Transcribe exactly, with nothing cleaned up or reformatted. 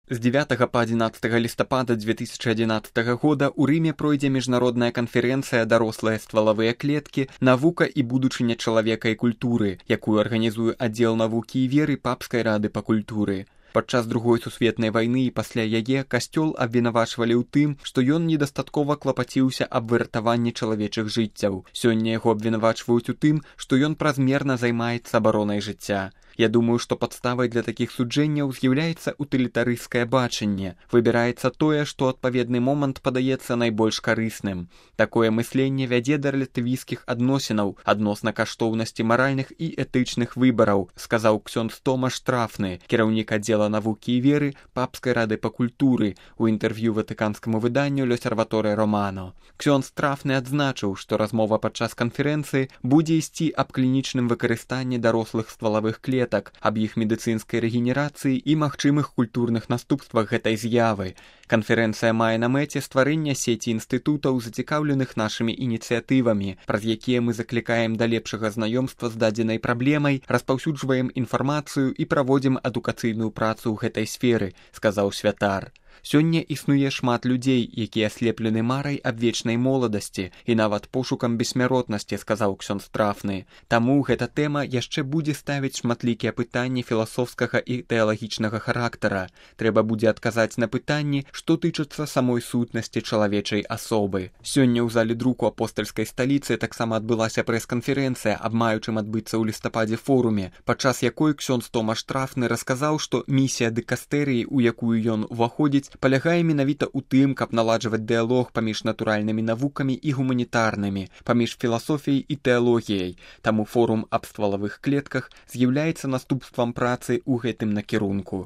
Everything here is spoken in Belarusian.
З дзевятага па адзінаццатага лістапада две тысячы адзінаццатага года ў Рыме пройдзе міжнародная канферэнцыя «Дарослыя ствалавыя клеткі. Навука і будучыня чалавека і культуры», якую арганізуе аддзел навукі і веры Папскай рады па культуры. Падчас другой сусветнай вайны і пасля яе касцёл абвінавачвалі ў тым, што ён недастаткова клапаціўся аб выратаванні чалавечых жыццяў. Сёння яго абвінавачваюць у тым, што ён празмерна займаецца абаронай жыцця. Я думаю, што падставай для такіх суджэнняў з'яўляецца утылітарысцкае бачанне. Выбіраецца тое, што ў адпаведны момант падаецца найбольш карысным. Такое мысленне вядзе да рэлятывісцкіх адносінаў адносна каштоўнасці маральных і этычных выбараў, сказаў ксёндз Томаш Трафны, кіраўнік аддзела навукі і веры Папскай рады па культуры, у інтэрв'ю ватыканскаму выданню «L'Osservatore Romano». Ксёндз Трафны адзначыў, што размова падчас канферэнцыі будзе ісці аб клінічным выкарыстанні дарослых ствалавых клетак, аб іх медыцынскай рэгенерацыі і магчымых культурных наступствах гэтай з'явы. Канферэнцыя мае на мэце стварэння сеці інстытутаў, зацікаўленых нашымі ініцыятывамі, праз якія мы заклікаем да лепшага знаёмства з дадзенай праблемай, распаўсюджваем інфармацыю і праводзім адукацыйную працу ў гэтай сферы, сказаў святар. Сёння існуе шмат людзей, якія аслеплены марай аб вечнай моладасці і нават пошукам бессмяротнасці, сказаў ксёндз Трафны. Таму гэта тэма яшчэ будзе ставіць шматлікія пытанні філасофскага і тэалагічнага характара. Трэба будзе адказаць на пытанні, што тычацца самой сутнасці чалавечай асобы. Сёння ў зале друку апостальскай сталіцы таксама адбылася прэс-канферэнцыя аб маючым адбыцца ў лістападзе форуме, падчас якой ксёндз Томаш Трафны расказаў, што місія дыкастэрыі, у якую ён уваходзіць, палягае менавіта ў тым, каб наладжваць дыялог паміж натуральнымі навукамі і гуманітарнымі, паміж філасофіяй і тэалогіяй. Таму форум аб ствалавых клетках з'яўляецца наступствам працы ў гэтым накірунку.